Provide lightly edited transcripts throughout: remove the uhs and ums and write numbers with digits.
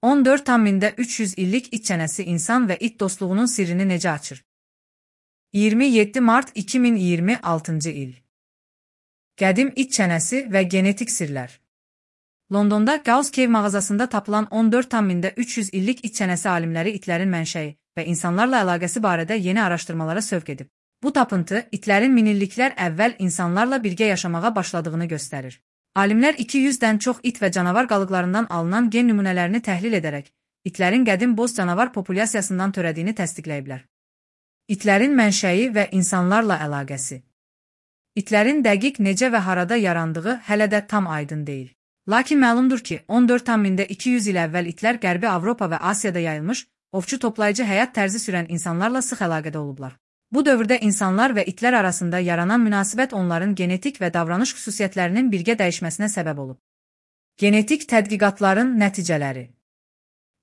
14,300 illik it çənəsi insan və it dostluğunun sirrini necə açır? 27 mart 2026 il. Qədim it çənəsi və genetik sirlər. Londonda Gauss Cave mağazasında tapılan 14,300 illik it çənəsi alimləri itlərin mənşəyi və insanlarla əlaqəsi barədə yeni araşdırmalara sövq edib. Bu tapıntı itlərin minilliklər əvvəl insanlarla birgə yaşamağa başladığını göstərir. Alimlər 200-dən çox it və canavar qalıqlarından alınan gen nümunələrini təhlil edərək, itlərin qədim boz canavar populyasiyasından törədiyini təsdiqləyiblər. İtlərin mənşəyi və insanlarla əlaqəsi. İtlərin dəqiq necə və harada yarandığı hələ də tam aydın deyil. Lakin məlumdur ki, 14,200 il əvvəl itlər Qərbi Avropa və Asiyada yayılmış, ovçu-toplayıcı həyat tərzi sürən insanlarla sıx əlaqədə olublar. Bu dövrdə insanlar və itlər arasında yaranan münasibət onların genetik və davranış xüsusiyyətlərinin birgə dəyişməsinə səbəb olub. Genetik tədqiqatların nəticələri.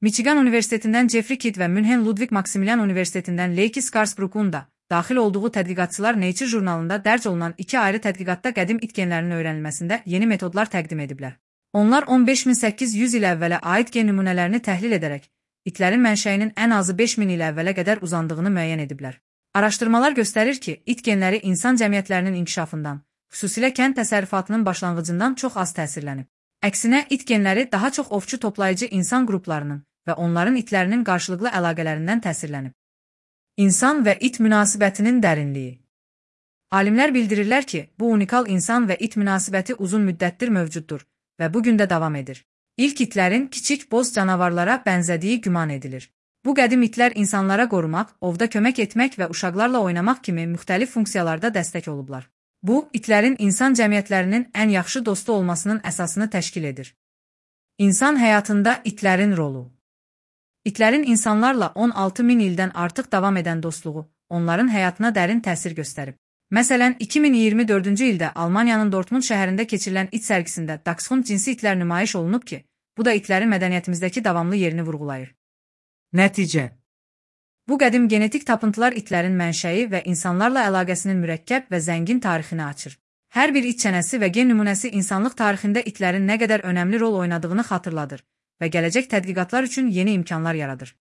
Michigan Universitetindən Jeffrey Kidd və Münhen Ludwig Maximilian Universitetindən Leiki Skarsbruck'un da daxil olduğu tədqiqatçılar Nature jurnalında dərc olunan 2 ayrı tədqiqatda qədim it genlərinin öyrənilməsində yeni metodlar təqdim ediblər. Onlar 15.800 il əvvələ aid gen nümunələrini təhlil edərək, itlərin mənşəyinin ən azı 5000 il əvvələ qədər uzandığını müəyyən ediblər. Araşdırmalar göstərir ki, it genləri insan cəmiyyətlərinin inkişafından, xüsusilə kənd təsərrüfatının başlanğıcından çox az təsirlənib. Əksinə, it genləri daha çox ovçu-toplayıcı insan qruplarının və onların itlərinin qarşılıqlı əlaqələrindən təsirlənib. İnsan və it münasibətinin dərinliyi. Alimlər bildirirlər ki, bu unikal insan və it münasibəti uzun müddətdir mövcuddur və bu gün də davam edir. İlk itlərin kiçik boz canavarlara bənzədiyi güman edilir. Bu qədim itlər insanlara qorumaq, ovda kömək etmək və uşaqlarla oynamaq kimi müxtəlif funksiyalarda dəstək olublar. Bu, itlərin insan cəmiyyətlərinin ən yaxşı dostu olmasının əsasını təşkil edir. İnsan həyatında itlərin rolu. İtlərin insanlarla 16.000 ildən artıq davam edən dostluğu, onların həyatına dərin təsir göstərib. Məsələn, 2024-cü ildə Almaniyanın Dortmund şəhərində keçirilən it sərgisində Dachshund cinsi itlər nümayiş olunub ki, bu da itlərin mədəniyyətimizdəki davamlı yerini vurğulayır. Nəticə. Bu qədim genetik tapıntılar itlərin mənşəyi və insanlarla əlaqəsinin mürəkkəb və zəngin tarixini açır. Hər bir it çənəsi və gen nümunəsi insanlıq tarixində itlərin nə qədər önəmli rol oynadığını xatırladır və gələcək tədqiqatlar üçün yeni imkanlar yaradır.